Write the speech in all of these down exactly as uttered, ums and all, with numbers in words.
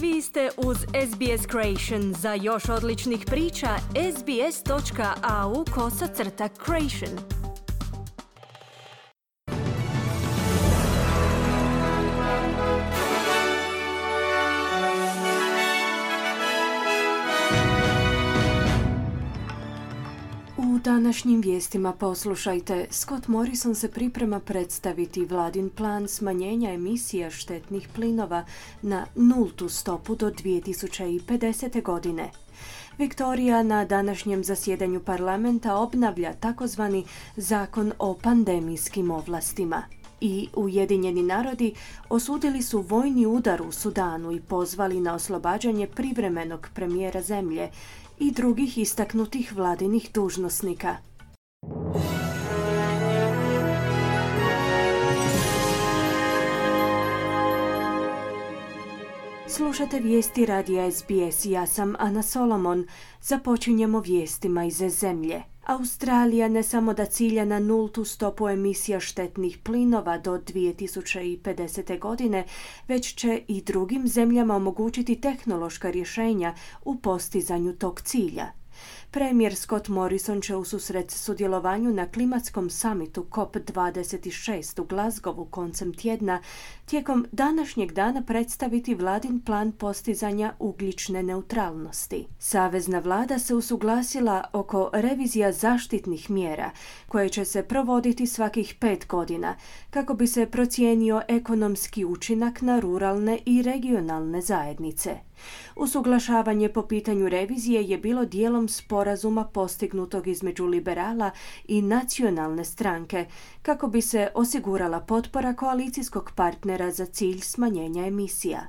Vi ste uz S B S Creation. Za još odličnih priča, sbs.au kosacrta creation. U današnjim vijestima poslušajte, Scott Morrison se priprema predstaviti vladin plan smanjenja emisija štetnih plinova na nultu stopu do dvije tisuće pedesete. godine. Viktorija na današnjem zasjedanju parlamenta obnavlja takozvani zakon o pandemijskim ovlastima. I Ujedinjeni narodi osudili su vojni udar u Sudanu i pozvali na oslobađanje privremenog premijera zemlje i drugih istaknutih vladinih dužnosnika. Slušate vijesti radija S B S, ja sam Ana Solomon. Započinjemo vijestima iz zemlje. Australija ne samo da cilja na nultu stopu emisija štetnih plinova do dvije tisuće pedesete. godine, već će i drugim zemljama omogućiti tehnološka rješenja u postizanju tog cilja. Premijer Scott Morrison će ususret sudjelovanju na klimatskom samitu C O P dvadeset šest u Glasgowu koncem tjedna tijekom današnjeg dana predstaviti vladin plan postizanja ugljične neutralnosti. Savezna vlada se usuglasila oko revizija zaštitnih mjera koje će se provoditi svakih pet godina kako bi se procijenio ekonomski učinak na ruralne i regionalne zajednice. Usuglašavanje po pitanju revizije je bilo dijelom sporazuma postignutog između liberala i nacionalne stranke kako bi se osigurala potpora koalicijskog partnera za cilj smanjenja emisija.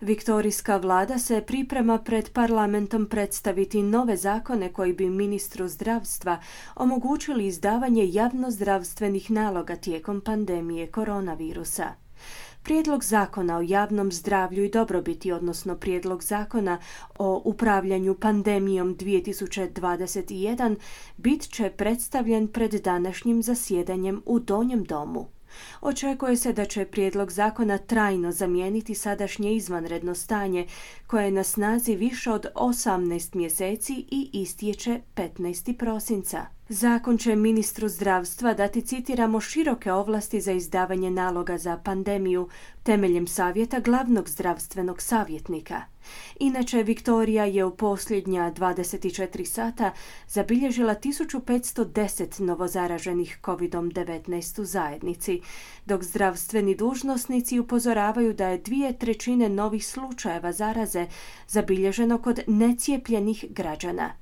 Viktorijska vlada se priprema pred parlamentom predstaviti nove zakone koji bi ministru zdravstva omogućili izdavanje javnozdravstvenih naloga tijekom pandemije koronavirusa. Prijedlog zakona o javnom zdravlju i dobrobiti, odnosno prijedlog zakona o upravljanju pandemijom dvije tisuće dvadeset jedan, bit će predstavljen pred današnjim zasjedanjem u Donjem domu. Očekuje se da će prijedlog zakona trajno zamijeniti sadašnje izvanredno stanje koje je na snazi više od osamnaest mjeseci i istječe petnaestog prosinca. Zakon će ministru zdravstva dati, citiramo, široke ovlasti za izdavanje naloga za pandemiju temeljem savjeta glavnog zdravstvenog savjetnika. Inače, Viktorija je u posljednja dvadeset četiri sata zabilježila tisuću petsto deset novozaraženih kovid devetnaest u zajednici, dok zdravstveni dužnosnici upozoravaju da je dvije trećine novih slučajeva zaraze zabilježeno kod necijepljenih građana.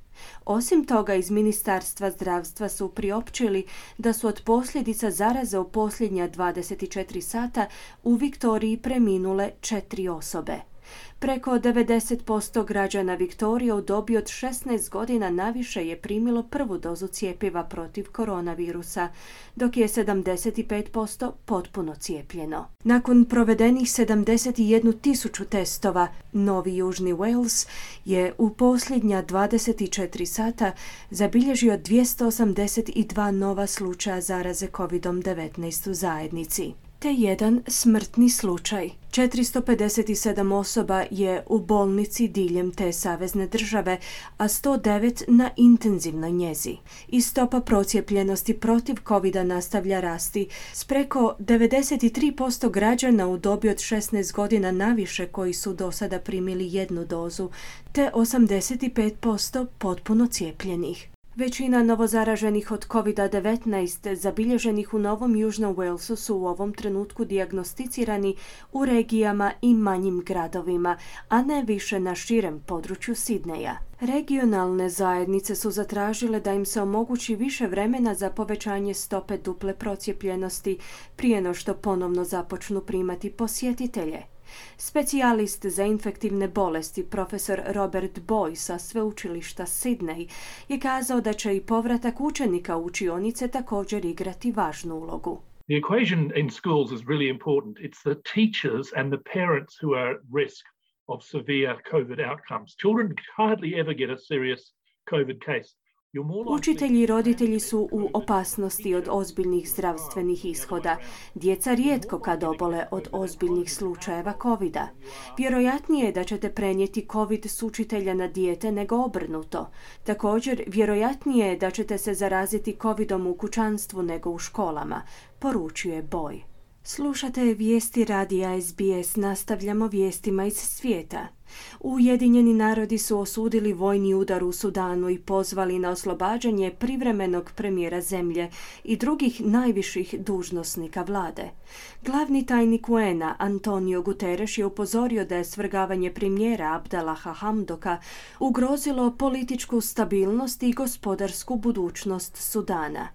Osim toga, iz Ministarstva zdravstva su priopćili da su od posljedica zaraze u posljednja dvadeset četiri sata u Viktoriji preminule četiri osobe. Preko devedeset posto građana Viktorije u dobi od šesnaest godina naviše je primilo prvu dozu cjepiva protiv koronavirusa, dok je sedamdeset pet posto potpuno cijepljeno. Nakon provedenih sedamdeset jednu tisuću testova, Novi Južni Wales je u posljednja dvadeset četiri sata zabilježio dvjesto osamdeset dva nova slučaja zaraze kovid devetnaest u zajednici, te jedan smrtni slučaj. četiristo pedeset sedam osoba je u bolnici diljem te savezne države, a sto devet na intenzivnoj njezi. I stopa procijepljenosti protiv covida nastavlja rasti s preko devedeset tri posto građana u dobi od šesnaest godina naviše koji su do sada primili jednu dozu, te osamdeset pet posto potpuno cijepljenih. Većina novozaraženih od kovid devetnaest zabilježenih u Novom Južnom Walesu su u ovom trenutku dijagnosticirani u regijama i manjim gradovima, a ne više na širem području Sidneja. Regionalne zajednice su zatražile da im se omogući više vremena za povećanje stope duple procijepljenosti prije no što ponovno započnu primati posjetitelje. Specijalist za infektivne bolesti profesor Robert Boy sa sveučilišta Sydney je kazao da će i povratak učenika u učionice također igrati važnu ulogu. The equation in schools is really important. It's the teachers and the parents who are at risk of severe COVID outcomes. Children hardly ever get a serious COVID case. Učitelji i roditelji su u opasnosti od ozbiljnih zdravstvenih ishoda. Djeca rijetko kad obole od ozbiljnih slučajeva kovida. Vjerojatnije je da ćete prenijeti covid s učitelja na dijete nego obrnuto. Također, vjerojatnije je da ćete se zaraziti covidom u kućanstvu nego u školama, poručuje Boy. Slušate vijesti radija S B S, nastavljamo vijestima iz svijeta. Ujedinjeni narodi su osudili vojni udar u Sudanu i pozvali na oslobađanje privremenog premijera zemlje i drugih najviših dužnosnika vlade. Glavni tajnik U N A Antonio Guterres je upozorio da je svrgavanje premijera Abdallaha Hamdoka ugrozilo političku stabilnost i gospodarsku budućnost Sudana.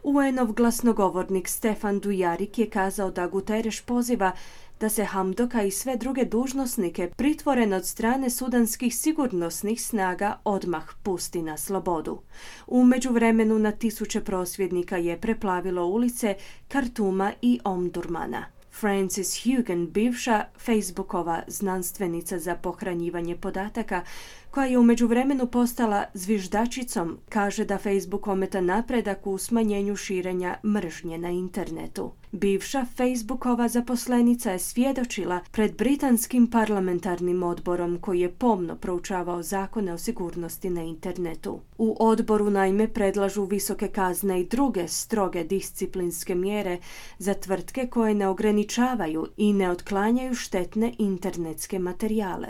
U N-ov glasnogovornik Stefan Dujarric je kazao da Guterres poziva da se Hamdoka i sve druge dužnosnike pritvoren od strane sudanskih sigurnosnih snaga odmah pusti na slobodu. U međuvremenu na tisuće prosvjednika je preplavilo ulice Kartuma i Omdurmana. Frances Haugen, bivša Facebookova znanstvenica za pohranjivanje podataka, koja je u međuvremenu postala zviždačicom, kaže da Facebook ometa napredak u smanjenju širenja mržnje na internetu. Bivša Facebookova zaposlenica je svjedočila pred britanskim parlamentarnim odborom koji je pomno proučavao zakone o sigurnosti na internetu. U odboru naime predlažu visoke kazne i druge stroge disciplinske mjere za tvrtke koje ne ograničavaju i ne otklanjaju štetne internetske materijale.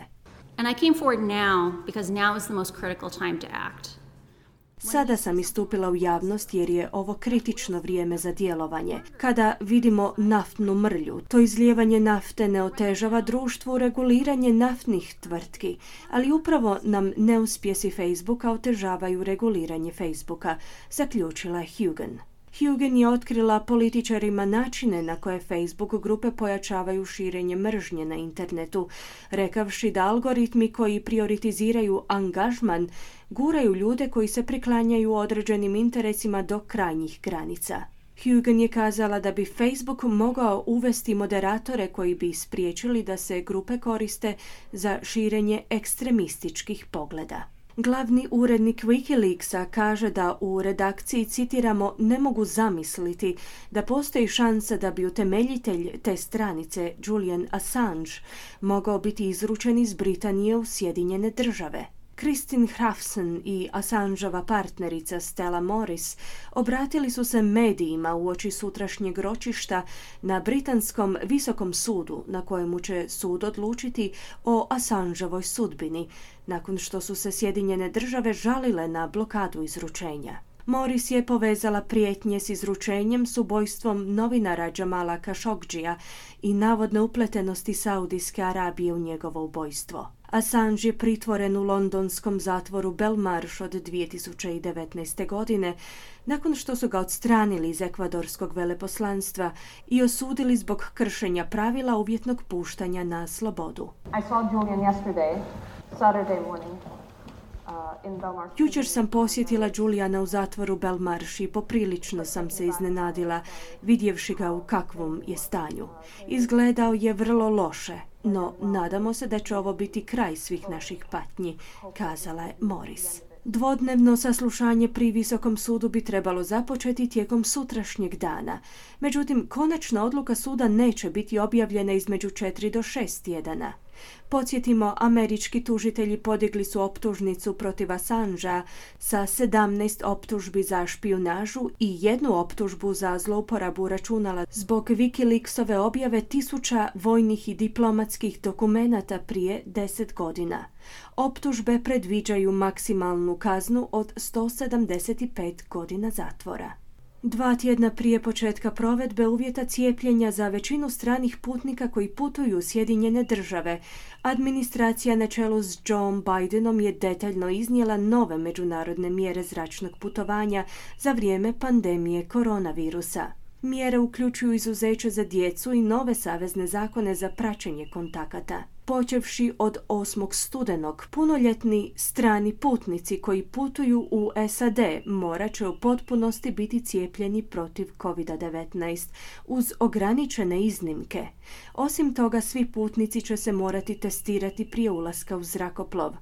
And I came forward now because now is the most critical time to act. Sada sam istupila u javnost jer je ovo kritično vrijeme za djelovanje. Kada vidimo naftnu mrlju, to izlijevanje nafte ne otežava društvu reguliranje naftnih tvrtki, ali upravo nam neuspjesi Facebooka otežavaju reguliranje Facebooka, zaključila je Haugen. Haugen je otkrila političarima načine na koje Facebook grupe pojačavaju širenje mržnje na internetu, rekavši da algoritmi koji prioritiziraju angažman guraju ljude koji se priklanjaju određenim interesima do krajnjih granica. Haugen je kazala da bi Facebook mogao uvesti moderatore koji bi spriječili da se grupe koriste za širenje ekstremističkih pogleda. Glavni urednik Wikileaksa kaže da u redakciji, citiramo, ne mogu zamisliti da postoji šansa da bi utemeljitelj te stranice, Julian Assange, mogao biti izručen iz Britanije u Sjedinjene države. Kristin Hrafson i Assangeova partnerica Stella Morris obratili su se medijima uoči sutrašnjeg ročišta na britanskom visokom sudu na kojemu će sud odlučiti o Assangeovoj sudbini, nakon što su se Sjedinjene države žalile na blokadu izručenja. Morris je povezala prijetnje s izručenjem s ubojstvom novinara Jamala Khashoggija i navodne upletenosti Saudijske Arabije u njegovo ubojstvo. Assange je pritvoren u londonskom zatvoru Belmarsh od dvije tisuće devetnaeste. godine, nakon što su ga odstranili iz ekvadorskog veleposlanstva i osudili zbog kršenja pravila uvjetnog puštanja na slobodu. I saw Julian yesterday, Saturday morning. Jučer sam posjetila Juliana u zatvoru Belmarsh i poprilično sam se iznenadila vidjevši ga u kakvom je stanju. Izgledao je vrlo loše, no nadamo se da će ovo biti kraj svih naših patnji, kazala je Morris. Dvodnevno saslušanje pri Visokom sudu bi trebalo započeti tijekom sutrašnjeg dana. Međutim, konačna odluka suda neće biti objavljena između četiri do šest tjedana. Podsjetimo, američki tužitelji podigli su optužnicu protiv Assangea sa sedamnaest optužbi za špijunažu i jednu optužbu za zlouporabu računala zbog Wikileaksove objave tisuća vojnih i diplomatskih dokumenata prije deset godina. Optužbe predviđaju maksimalnu kaznu od sto sedamdeset pet godina zatvora. Dva tjedna prije početka provedbe uvjeta cijepljenja za većinu stranih putnika koji putuju u Sjedinjene države, administracija na čelu s Joe Bidenom je detaljno iznijela nove međunarodne mjere zračnog putovanja za vrijeme pandemije koronavirusa. Mjere uključuju izuzeće za djecu i nove savezne zakone za praćenje kontakata. Počevši od osmog studenog, punoljetni strani putnici koji putuju u S A D morat će u potpunosti biti cijepljeni protiv covid devetnaest uz ograničene iznimke. Osim toga, svi putnici će se morati testirati prije ulaska u zrakoplov.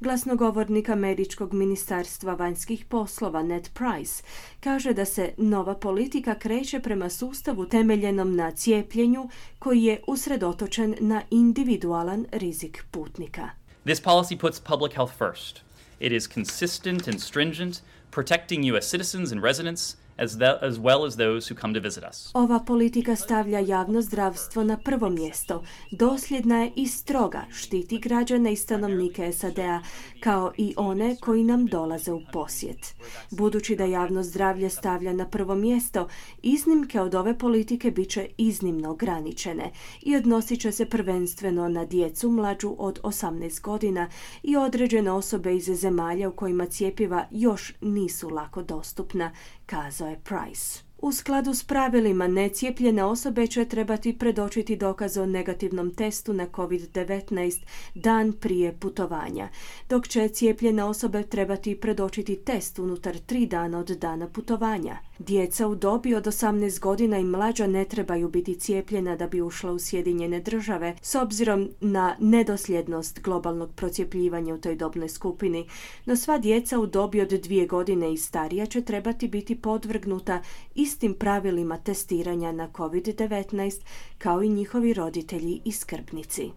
Glasnogovornik američkog ministarstva vanjskih poslova Ned Price kaže da se nova politika kreće prema sustavu temeljenom na cijepljenju koji je usredotočen na individualan rizik putnika. This policy puts public health first. It is consistent and stringent, protecting U S citizens and residents as, the, as well as those who come to visit us. Ova politika stavlja javno zdravstvo na prvo mjesto. Dosljedna je i stroga, štiti građane i stanovnike S A D-a, kao i one koji nam dolaze u posjet. Budući da javno zdravlje stavlja na prvo mjesto, iznimke od ove politike bit će iznimno ograničene i odnosit će se prvenstveno na djecu mlađu od osamnaest godina i određene osobe iz zemalja u kojima cjepiva još nisu lako dostupna, kazao je Price. U skladu s pravilima, necijepljene osobe će trebati predočiti dokaz o negativnom testu na covid devetnaest dan prije putovanja, dok će cijepljene osobe trebati predočiti test unutar tri dana od dana putovanja. Djeca u dobi od osamnaest godina i mlađa ne trebaju biti cijepljena da bi ušla u Sjedinjene države, s obzirom na nedosljednost globalnog procjepljivanja u toj dobnoj skupini, no sva djeca u dobi od dvije godine i starija će trebati biti podvrgnuta istim pravilima testiranja na covid devetnaest kao i njihovi roditelji i skrbnici.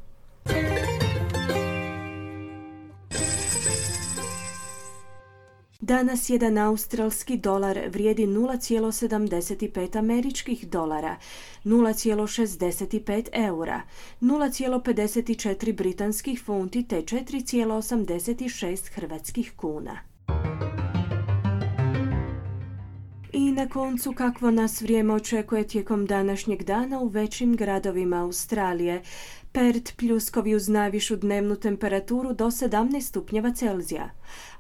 Danas jedan australski dolar vrijedi nula zarez sedamdeset pet američkih dolara, nula zarez šezdeset pet eura, nula zarez pedeset četiri britanskih funti te četiri zarez osamdeset šest hrvatskih kuna. I na koncu, kakvo nas vrijeme očekuje tijekom današnjeg dana u većim gradovima Australije. Perth pljuskovi uz najvišu dnevnu temperaturu do sedamnaest stupnjeva Celzija.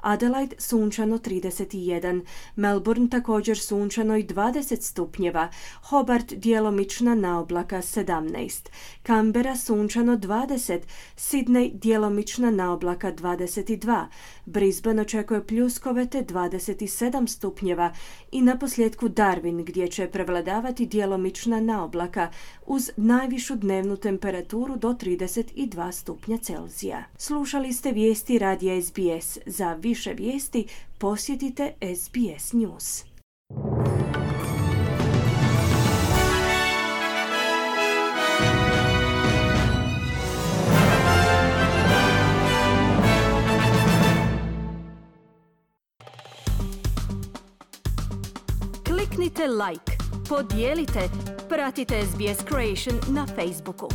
Adelaide sunčano trideset jedan, Melbourne također sunčano i dvadeset stupnjeva, Hobart djelomična naoblaka sedamnaest, Canberra sunčano dvadeset, Sydney djelomična naoblaka dvadeset dva, Brisbane očekuje pljuskove te dvadeset sedam stupnjeva i naposljetku Darwin gdje će prevladavati djelomična naoblaka uz najvišu dnevnu temperaturu do trideset dva stupnja Celzija. Slušali ste vijesti radija S B S. Za više vijesti posjetite S B S News. Kliknite like, podijelite, pratite S B S Creation na Facebooku.